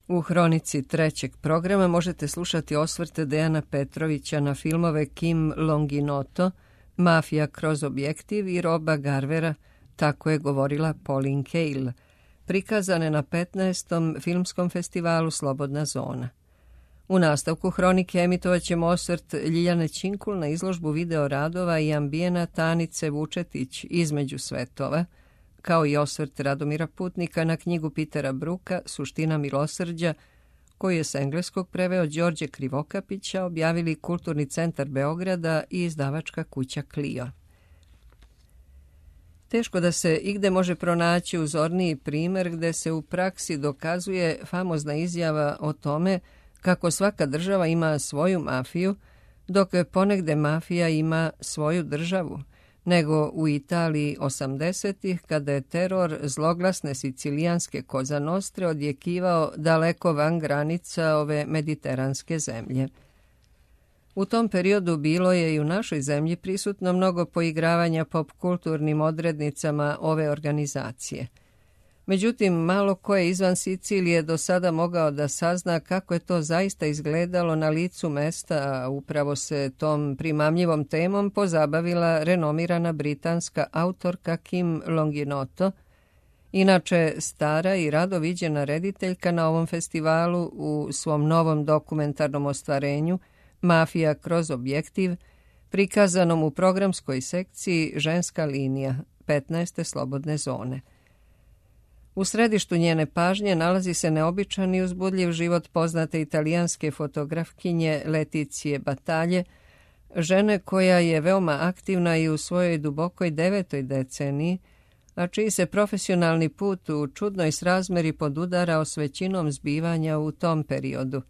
U hronici trećeg programa možete slušati osvrte Dejana Petrovića na filmove Kim Longinoto, Mafija kroz objektiv i Roba Garvera, Tako je govorila Pauline Kael, prikazane na 15. filmskom festivalu Slobodna zona. U nastavku hronike emitovat ćemo osvrt Ljiljane Činkul na izložbu video radova i ambijenata Anice Vučetić Između svetova, kao i osvrt Radomira Putnika na knjigu Pitera Bruka Suština milosrđa, koju je s engleskog preveo Đorđe Krivokapića, objavili Kulturni centar Beograda i izdavačka kuća Clio. Teško da se igde može pronaći uzorniji primer gde se u praksi dokazuje famozna izjava o tome kako svaka država ima svoju mafiju, dok ponegde mafija ima svoju državu, nego u Italiji 80-ih, kada je teror zloglasne sicilijanske Koza Nostre odjekivao daleko van granica ove mediteranske zemlje. U tom periodu bilo je i u našoj zemlji prisutno mnogo poigravanja popkulturnim odrednicama ove organizacije. Međutim, malo ko je izvan Sicilije do sada mogao da sazna kako je to zaista izgledalo na licu mesta, a upravo se tom primamljivom temom pozabavila renomirana britanska autorka Kim Longinoto, inače stara i rado viđena rediteljka na ovom festivalu u svom novom dokumentarnom ostvarenju Mafija kroz objektiv, prikazanom u programskoj sekciji Ženska linija 15. Slobodne zone. U središtu njene pažnje nalazi se neobičan i uzbudljiv život poznate italijanske fotografkinje Leticije Batalje, žene koja je veoma aktivna i u svojoj dubokoj 9. deceniji, a čiji se profesionalni put u čudnoj srazmeri podudarao s većinom zbivanja u tom periodu.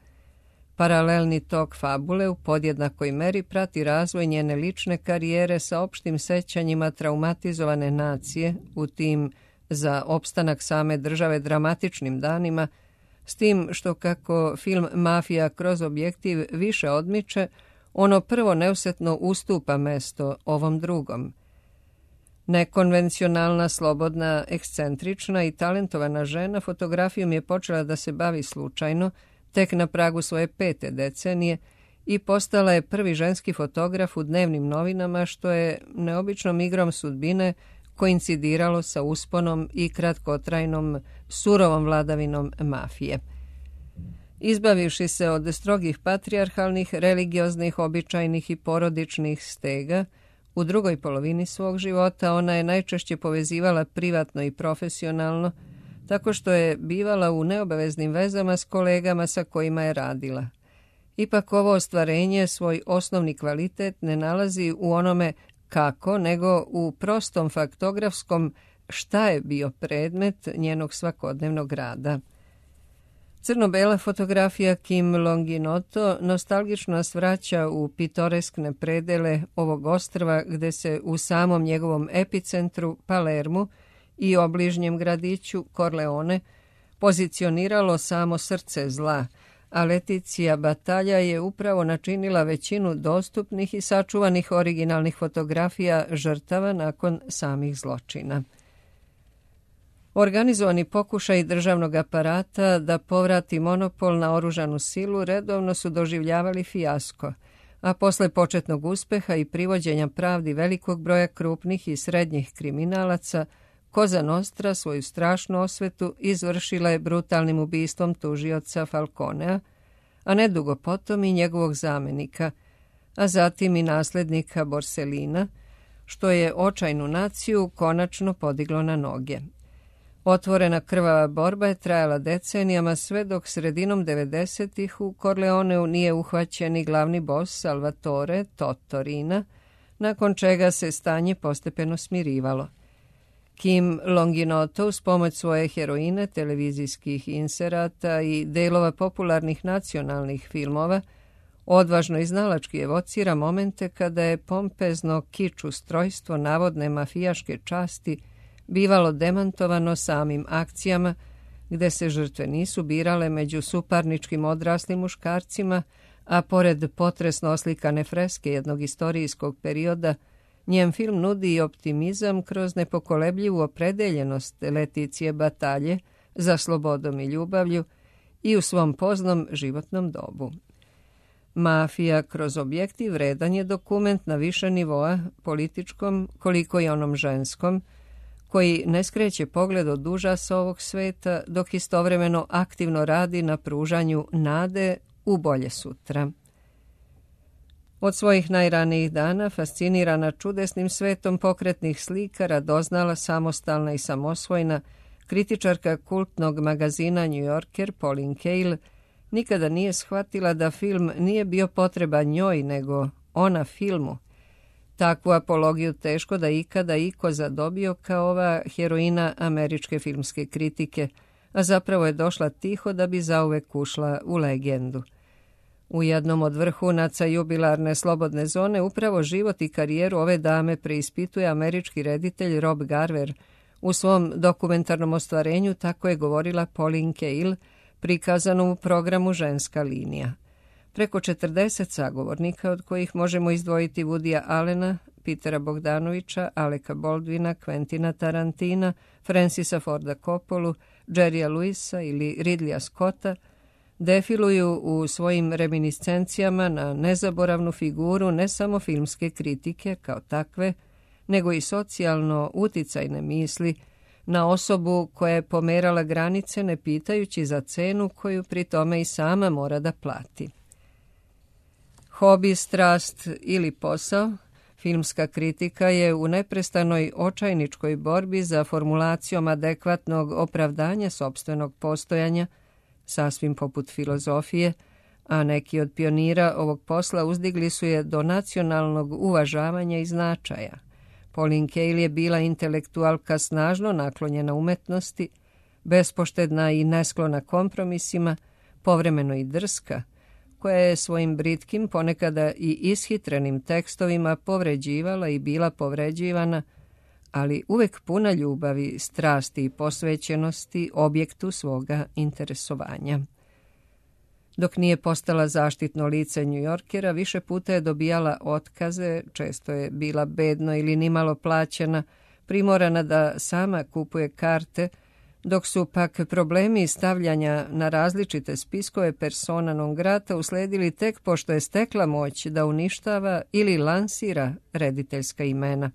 Paralelni tok fabule u podjednakoj meri prati razvoj njene lične karijere sa opštim sećanjima traumatizovane nacije u tim za opstanak same države dramatičnim danima, s tim što kako film Mafija kroz objektiv više odmiče, ono prvo neusetno ustupa mesto ovom drugom. Nekonvencionalna, slobodna, ekscentrična i talentovana žena fotografijom je počela da se bavi slučajno, tek na pragu svoje 5. decenije, i postala je prvi ženski fotograf u dnevnim novinama, što je neobičnom igrom sudbine koincidiralo sa usponom i kratkotrajnom, surovom vladavinom mafije. Izbavivši se od strogih patrijarhalnih, religioznih, običajnih i porodičnih stega, u drugoj polovini svog života ona je najčešće povezivala privatno i profesionalno, tako što je bivala u neobaveznim vezama s kolegama sa kojima je radila. Ipak ovo ostvarenje svoj osnovni kvalitet ne nalazi u onome kako, nego u prostom faktografskom šta je bio predmet njenog svakodnevnog rada. Crno-bela fotografija Kim Longinoto nostalgično nas vraća u pitoreskne predele ovog ostrva gde se u samom njegovom epicentru Palermu i obližnjem gradiću Corleone pozicioniralo samo srce zla, a Leticija Batalja je upravo načinila većinu dostupnih i sačuvanih originalnih fotografija žrtava nakon samih zločina. Organizovani pokušaj državnog aparata da povrati monopol na oružanu silu redovno su doživljavali fijasko, a posle početnog uspeha i privođenja pravdi velikog broja krupnih i srednjih kriminalaca, Koza Nostra svoju strašnu osvetu izvršila je brutalnim ubistvom tužioca Falconea, a nedugo potom i njegovog zamenika, a zatim i naslednika Borsellina, što je očajnu naciju konačno podiglo na noge. Otvorena krvava borba je trajala decenijama sve dok sredinom 90-ih u Corleoneu nije uhvaćen i glavni bos Salvatore Totorina, nakon čega se stanje postepeno smirivalo. Kim Longinoto uz pomoć svoje heroine, televizijskih inserata i delova popularnih nacionalnih filmova odvažno i znalački evocira momente kada je pompezno kič ustrojstvo navodne mafijaške časti bivalo demantovano samim akcijama, gde se žrtve nisu birale među suparničkim odraslim muškarcima, a pored potresno oslikane freske jednog istorijskog perioda, njen film nudi i optimizam kroz nepokolebljivu opredeljenost Leticije Batalje za slobodom i ljubavlju i u svom poznom životnom dobu. Mafija kroz objektiv vredan je dokument na više nivoa, političkom koliko i onom ženskom, koji ne skreće pogled od užasa ovog sveta, dok istovremeno aktivno radi na pružanju nade u bolje sutra. Od svojih najranijih dana, fascinirana čudesnim svetom pokretnih slika, radoznala, samostalna i samosvojna, kritičarka kultnog magazina New Yorker Pauline Kael nikada nije shvatila da film nije bio potreban njoj, nego ona filmu. Takvu apologiju teško da ikada iko zadobio kao ova heroina američke filmske kritike, a zapravo je došla tiho da bi zauvek ušla u legendu. U jednom od vrhunaca jubilarne slobodne zone upravo život i karijeru ove dame preispituje američki reditelj Rob Garver. U svom dokumentarnom ostvarenju tako je govorila Pauline Kael, prikazano u programu Ženska linija. Preko 40 sagovornika, od kojih možemo izdvojiti Woodya Allena, Petera Bogdanovića, Aleka Baldwina, Quentina Tarantina, Francisa Forda Coppolu, Jerrya Lewisa ili Ridleya Scotta, defiluju u svojim reminiscencijama na nezaboravnu figuru ne samo filmske kritike kao takve, nego i socijalno uticajne misli, na osobu koja je pomerala granice ne pitajući za cenu koju pri tome i sama mora da plati. Hobi, strast ili posao, filmska kritika je u neprestanoj očajničkoj borbi za formulacijom adekvatnog opravdanja sopstvenog postojanja, sasvim poput filozofije, a neki od pionira ovog posla uzdigli su je do nacionalnog uvažavanja i značaja. Pauline Kael je bila intelektualka snažno naklonjena umetnosti, bespoštedna i nesklona kompromisima, povremeno i drska, koja je svojim britkim, ponekada i ishitrenim tekstovima povređivala i bila povređivana, ali uvek puna ljubavi, strasti i posvećenosti objektu svoga interesovanja. Dok nije postala zaštitno lice New Yorkera, više puta je dobijala otkaze, često je bila bedno ili nimalo plaćena, primorana da sama kupuje karte, dok su pak problemi stavljanja na različite spiskove persona non grata usledili tek pošto je stekla moć da uništava ili lansira rediteljska imena.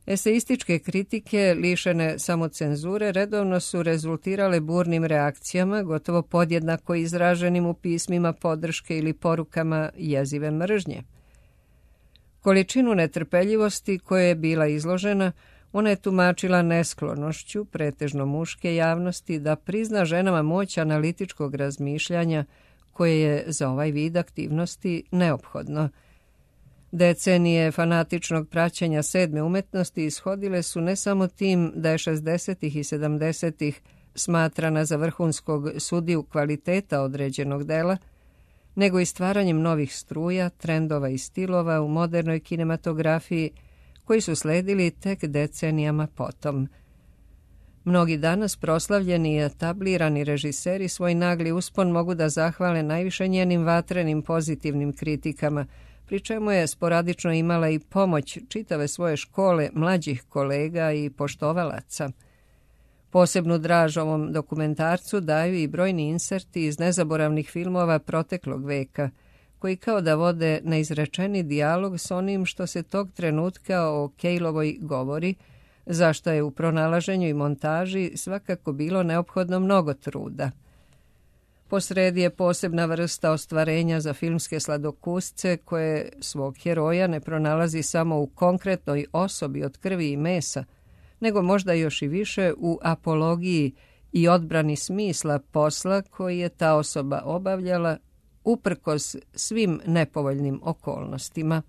Eseističke kritike, lišene samocenzure, redovno su rezultirale burnim reakcijama, gotovo podjednako izraženim u pismima podrške ili porukama jezive mržnje. Količinu netrpeljivosti koje je bila izložena, ona je tumačila nesklonošću, pretežno muške javnosti, da prizna ženama moć analitičkog razmišljanja koje je za ovaj vid aktivnosti neophodno. Decenije fanatičnog praćenja sedme umetnosti ishodile su ne samo tim da je 60. i 70. smatrana za vrhunskog sudiju kvaliteta određenog dela, nego i stvaranjem novih struja, trendova i stilova u modernoj kinematografiji koji su sledili tek decenijama potom. Mnogi danas proslavljeni i etablirani režiseri svoj nagli uspon mogu da zahvale najviše njenim vatrenim pozitivnim kritikama, pri čemu je sporadično imala i pomoć čitave svoje škole mlađih kolega i poštovalaca. Posebnu draž ovom dokumentarcu daju i brojni inserti iz nezaboravnih filmova proteklog veka, koji kao da vode neizrečeni dijalog s onim što se tog trenutka o Kaelovoj govori, zašto je u pronalaženju i montaži svakako bilo neophodno mnogo truda. Posredi je posebna vrsta ostvarenja za filmske sladokusce koje svog heroja ne pronalazi samo u konkretnoj osobi od krvi i mesa, nego možda još i više u apologiji i odbrani smisla posla koji je ta osoba obavljala uprkos svim nepovoljnim okolnostima.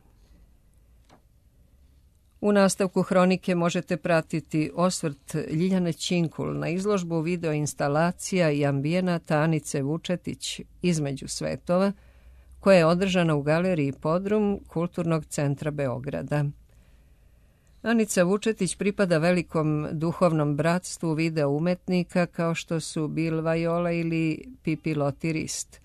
U nastavku hronike možete pratiti osvrt Ljiljane Činkul na izložbu videoinstalacija i ambijenata Anice Vučetić Između svetova, koja je održana u galeriji Podrum Kulturnog centra Beograda. Anica Vučetić pripada velikom duhovnom bratstvu video umetnika kao što su Bill Viola ili Pipi Lotirist.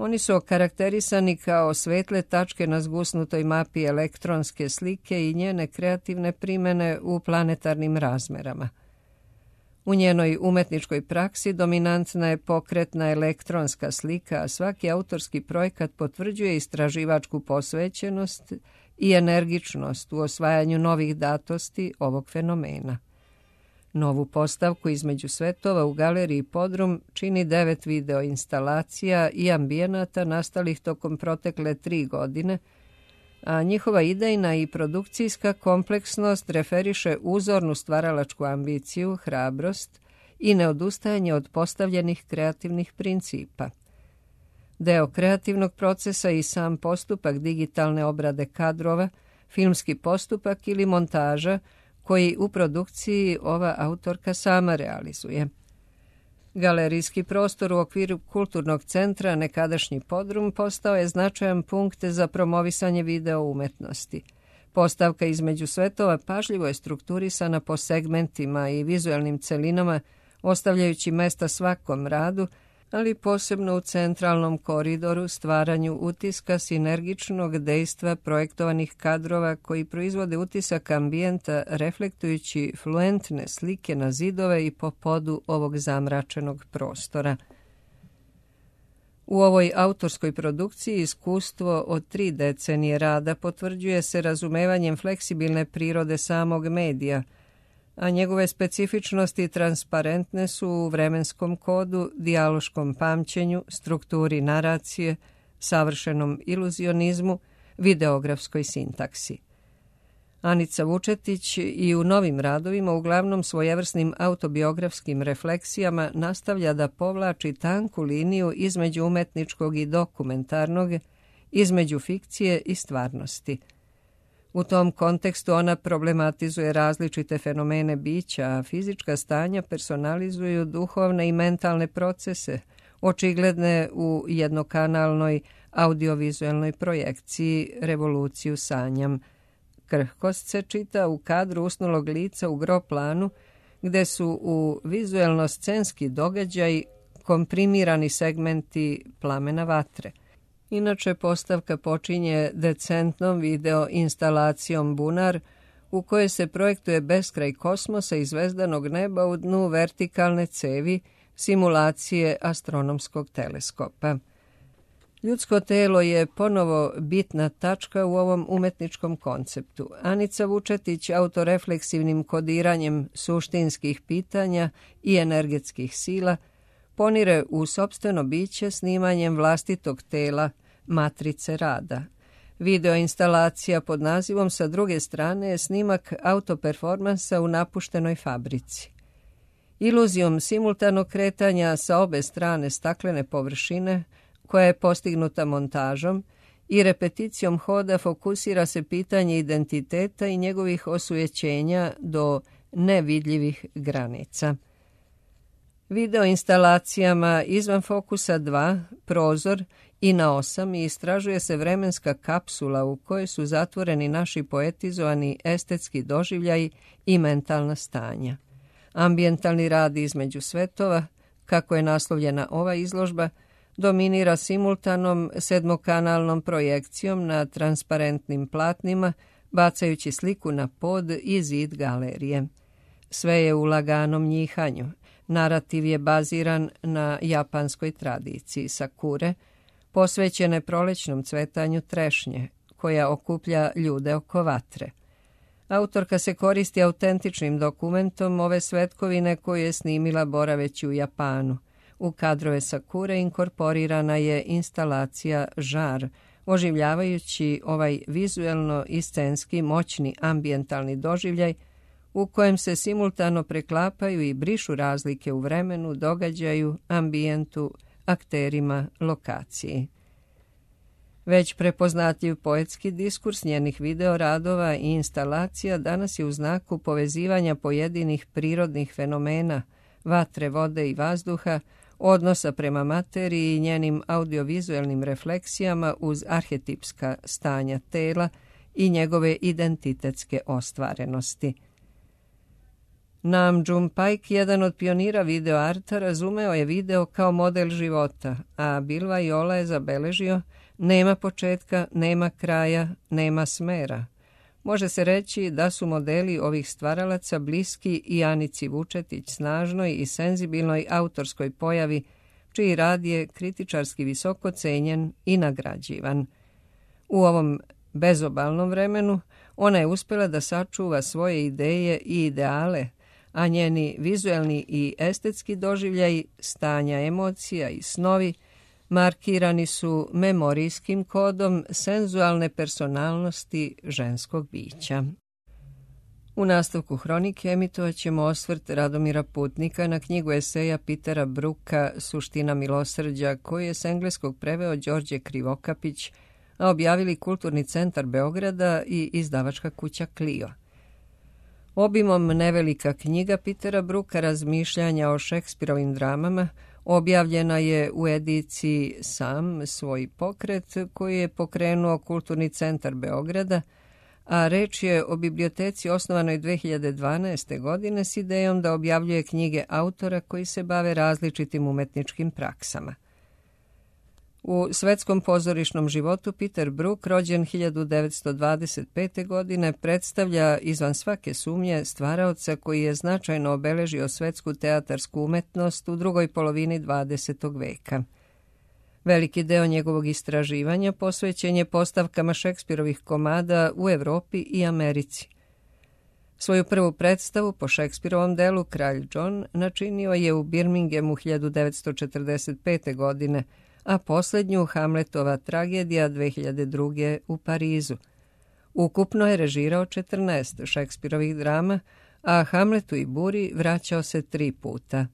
Oni su okarakterisani kao svetle tačke na zgusnutoj mapi elektronske slike i njene kreativne primene u planetarnim razmerama. U njenoj umetničkoj praksi dominantna je pokretna elektronska slika, a svaki autorski projekat potvrđuje istraživačku posvećenost i energičnost u osvajanju novih datosti ovog fenomena. Novu postavku između svetova u galeriji Podrum čini 9 video instalacija i ambijenata nastalih tokom protekle 3 godine, a njihova idejna i produkcijska kompleksnost referiše uzornu stvaralačku ambiciju, hrabrost i neodustajanje od postavljenih kreativnih principa. Deo kreativnog procesa i sam postupak digitalne obrade kadrova, filmski postupak ili montaža koji u produkciji ova autorka sama realizuje. Galerijski prostor u okviru kulturnog centra, nekadašnji Podrum, postao je značajan punkt za promovisanje video umetnosti. Postavka između svetova pažljivo je strukturisana po segmentima i vizualnim celinama, ostavljajući mesta svakom radu, ali posebno u centralnom koridoru stvaranju utiska sinergičnog dejstva projektovanih kadrova koji proizvode utisak ambijenta reflektujući fluentne slike na zidove i po podu ovog zamračenog prostora. U ovoj autorskoj produkciji iskustvo od 3 decenije rada potvrđuje se razumevanjem fleksibilne prirode samog medija, a njegove specifičnosti transparentne su u vremenskom kodu, dijaloškom pamćenju, strukturi naracije, savršenom iluzionizmu, videografskoj sintaksi. Anica Vučetić i u novim radovima, uglavnom svojevrsnim autobiografskim refleksijama, nastavlja da povlači tanku liniju između umetničkog i dokumentarnog, između fikcije i stvarnosti. U tom kontekstu ona problematizuje različite fenomene bića, a fizička stanja personalizuju duhovne i mentalne procese, očigledne u jednokanalnoj audiovizualnoj projekciji Revoluciju sanjam. Krhkost se čita u kadru usnulog lica u gro planu, gde su u vizuelno-scenski događaj komprimirani segmenti plamena vatre. Inače, postavka počinje decentnom video instalacijom Bunar, u kojoj se projektuje beskraj kosmosa i zvezdanog neba u dnu vertikalne cevi, simulacije astronomskog teleskopa. Ljudsko telo je ponovo bitna tačka u ovom umetničkom konceptu. Anica Vučetić autorefleksivnim kodiranjem suštinskih pitanja i energetskih sila ponire u sopstveno biće snimanjem vlastitog tela, matrice rada. Video instalacija pod nazivom Sa druge strane je snimak autoperformansa u napuštenoj fabrici. Iluzijom simultanog kretanja sa obe strane staklene površine, koja je postignuta montažom, i repeticijom hoda fokusira se pitanje identiteta i njegovih osujećenja do nevidljivih granica. Video instalacijama Izvan fokusa 2, Prozor i Na 8 istražuje se vremenska kapsula u kojoj su zatvoreni naši poetizovani estetski doživljaji i mentalna stanja. Ambijentalni rad između svetova, kako je naslovljena ova izložba, dominira simultanom sedmokanalnom projekcijom na transparentnim platnima, bacajući sliku na pod i zid galerije. Sve je u laganom njihanju. Narativ je baziran na japanskoj tradiciji sakure, posvećene prolećnom cvetanju trešnje, koja okuplja ljude oko vatre. Autorka se koristi autentičnim dokumentom ove svetkovine koju je snimila boraveći u Japanu. U kadrove sakure inkorporirana je instalacija Žar, oživljavajući ovaj vizuelno i scenski moćni ambijentalni doživljaj u kojem se simultano preklapaju i brišu razlike u vremenu, događaju, ambijentu, akterima, lokaciji. Već prepoznatljiv poetski diskurs njenih videoradova i instalacija danas je u znaku povezivanja pojedinih prirodnih fenomena, vatre, vode i vazduha, odnosa prema materiji i njenim audiovizualnim refleksijama uz arhetipska stanja tela i njegove identitetske ostvarenosti. Nam June Paik, jedan od pionira videoarta, razumeo je video kao model života, a Bill Viola je zabeležio: nema početka, nema kraja, nema smera. Može se reći da su modeli ovih stvaralaca bliski i Anici Vučetić, snažnoj i senzibilnoj autorskoj pojavi, čiji rad je kritičarski visoko cenjen i nagrađivan. U ovom bezobalnom vremenu ona je uspjela da sačuva svoje ideje i ideale, a njeni vizuelni i estetski doživljaj, stanja emocija i snovi markirani su memorijskim kodom senzualne personalnosti ženskog bića. U nastavku hronike emitovat ćemo osvrt Radomira Putnika na knjigu eseja Petera Brooka Suština milosrđa, koju je s engleskog preveo Đorđe Krivokapić, a objavili Kulturni centar Beograda i izdavačka kuća Clio. Obimom nevelika knjiga Petera Brooka Razmišljanja o Šekspirovim dramama objavljena je u ediciji Sam svoj pokret, koji je pokrenuo Kulturni centar Beograda, a reč je o biblioteci osnovanoj 2012. godine s idejom da objavljuje knjige autora koji se bave različitim umetničkim praksama. U svetskom pozorišnom životu Peter Brook, rođen 1925. godine, predstavlja izvan svake sumnje stvaraoca koji je značajno obeležio svetsku teatarsku umetnost u drugoj polovini 20. veka. Veliki deo njegovog istraživanja posvećen je postavkama Šekspirovih komada u Evropi i Americi. Svoju prvu predstavu po Šekspirovom delu Kralj John načinio je u Birminghamu 1945. godine, a posljednju Hamletova tragedija 2002. u Parizu. Ukupno je režirao 14 Šekspirovih drama, a Hamletu i Buri vraćao se 3 puta.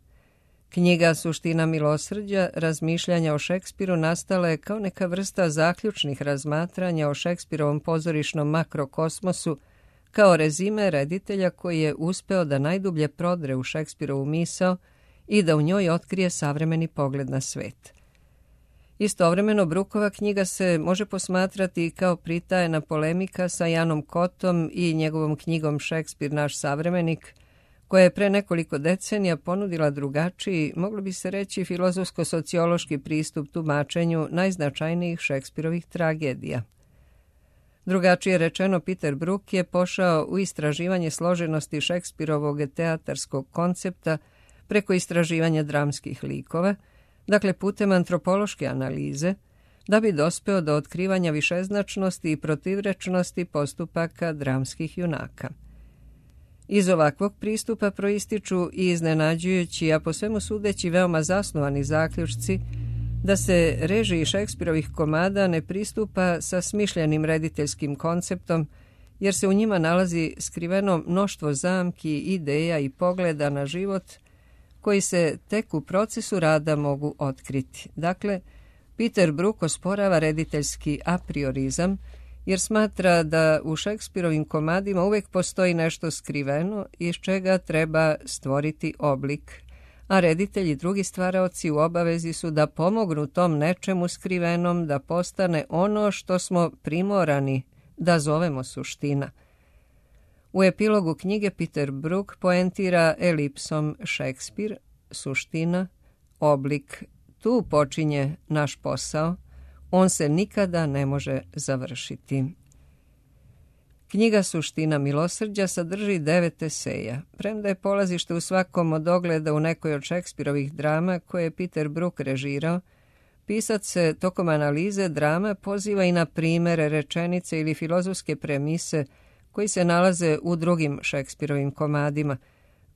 Knjiga Suština milosrđa, razmišljanja o Šekspiru, nastala je kao neka vrsta zaključnih razmatranja o Šekspirovom pozorišnom makrokosmosu, kao rezime reditelja koji je uspeo da najdublje prodre u Šekspirovu misao i da u njoj otkrije savremeni pogled na svet. Istovremeno, Brookova knjiga se može posmatrati kao pritajena polemika sa Janom Kotom i njegovom knjigom Šekspir, naš savremenik, koja je pre nekoliko decenija ponudila drugačiji, moglo bi se reći filozofsko-sociološki pristup tumačenju najznačajnijih Šekspirovih tragedija. Drugačije rečeno, Peter Brook je pošao u istraživanje složenosti Šekspirovog teatarskog koncepta preko istraživanja dramskih likova, dakle putem antropološke analize, da bi dospeo do otkrivanja višeznačnosti i protivrečnosti postupaka dramskih junaka. Iz ovakvog pristupa proističu i iznenađujući, a po svemu sudeći veoma zasnovani zaključci, da se režiji Šekspirovih komada ne pristupa sa smišljenim rediteljskim konceptom, jer se u njima nalazi skriveno mnoštvo zamki, ideja i pogleda na život koji se tek u procesu rada mogu otkriti. Dakle, Peter Brook osporava rediteljski apriorizam, jer smatra da u Šekspirovim komadima uvijek postoji nešto skriveno iz čega treba stvoriti oblik, a reditelji i drugi stvaraoci u obavezi su da pomognu tom nečemu skrivenom da postane ono što smo primorani da zovemo suština. U epilogu knjige Peter Brook poentira elipsom Šekspir, suština, oblik. Tu počinje naš posao, on se nikada ne može završiti. Knjiga Suština milosrđa sadrži 9 eseja. Premda je polazište u svakom od ogleda u nekoj od Šekspirovih drama koje je Peter Brook režirao, pisac se tokom analize drama poziva i na primere, rečenice ili filozofske premise koji se nalaze u drugim Šekspirovim komadima,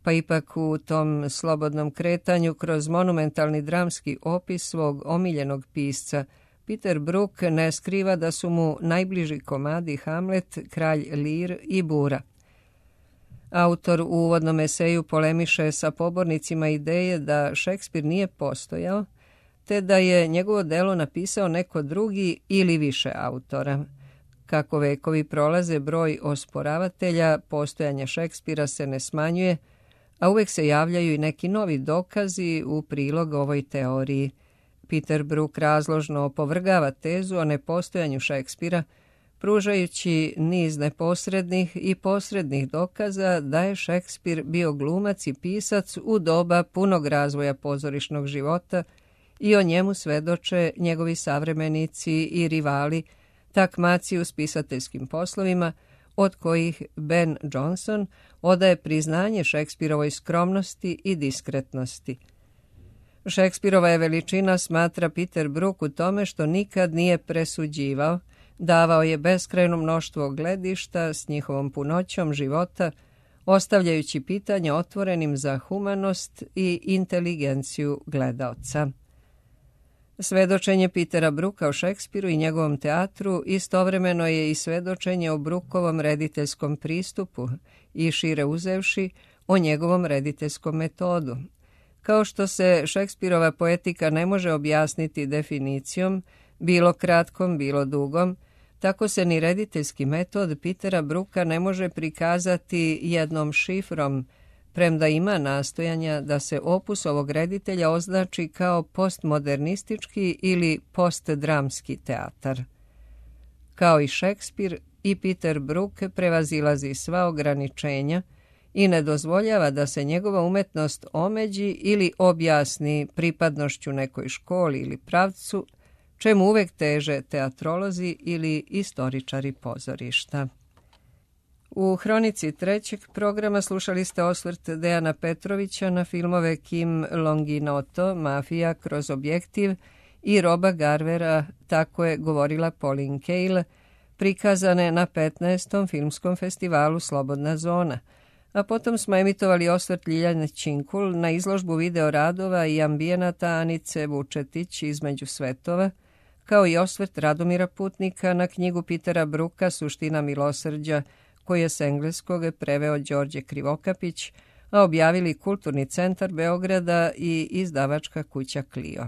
pa ipak u tom slobodnom kretanju kroz monumentalni dramski opis svog omiljenog pisca, Peter Brook ne skriva da su mu najbliži komadi Hamlet, Kralj Lir i Bura. Autor u uvodnom eseju polemiše sa pobornicima ideje da Šekspir nije postojao, te da je njegovo delo napisao neko drugi ili više autora. Kako vekovi prolaze, broj osporavatelja postojanja Šekspira se ne smanjuje, a uvijek se javljaju i neki novi dokazi u prilog ovoj teoriji. Peter Brook razložno opovrgava tezu o nepostojanju Šekspira, pružajući niz neposrednih i posrednih dokaza da je Šekspir bio glumac i pisac u doba punog razvoja pozorišnog života i o njemu svedoče njegovi savremenici i rivali, takmaci u spisateljskim poslovima, od kojih Ben Jonson odaje priznanje Šekspirovoj skromnosti i diskretnosti. Šekspirova je veličina, smatra Peter Brook, u tome što nikad nije presuđivao, davao je beskrajno mnoštvo gledišta s njihovom punoćom života, ostavljajući pitanje otvorenim za humanost i inteligenciju gledaoca. Svedočenje Petera Brooka o Šekspiru i njegovom teatru istovremeno je i svedočenje o Brookovom rediteljskom pristupu i, šire uzevši, o njegovom rediteljskom metodu. Kao što se Šekspirova poetika ne može objasniti definicijom, bilo kratkom, bilo dugom, tako se ni rediteljski metod Petera Brooka ne može prikazati jednom šifrom, premda ima nastojanja da se opus ovog reditelja označi kao postmodernistički ili postdramski teatar. Kao i Šekspir, i Peter Brook prevazilazi sva ograničenja i ne dozvoljava da se njegova umetnost omeđi ili objasni pripadnošću nekoj školi ili pravcu, čemu uvek teže teatrolozi ili istoričari pozorišta. U hronici trećeg programa slušali ste osvrt Dejana Petrovića na filmove Kim Longinoto, Mafija kroz objektiv, i Roba Garvera, Tako je govorila Pauline Kael, prikazane na 15. filmskom festivalu Slobodna zona, a potom smo emitovali osvrt Ljiljane Činkul na izložbu videoradova i ambijenata Anice Vučetić Između svetova, kao i osvrt Radomira Putnika na knjigu Petera Brooka Suština milosrđa, koji je s engleskog preveo Đorđe Krivokapić, a objavili Kulturni centar Beograda i izdavačka kuća Clio.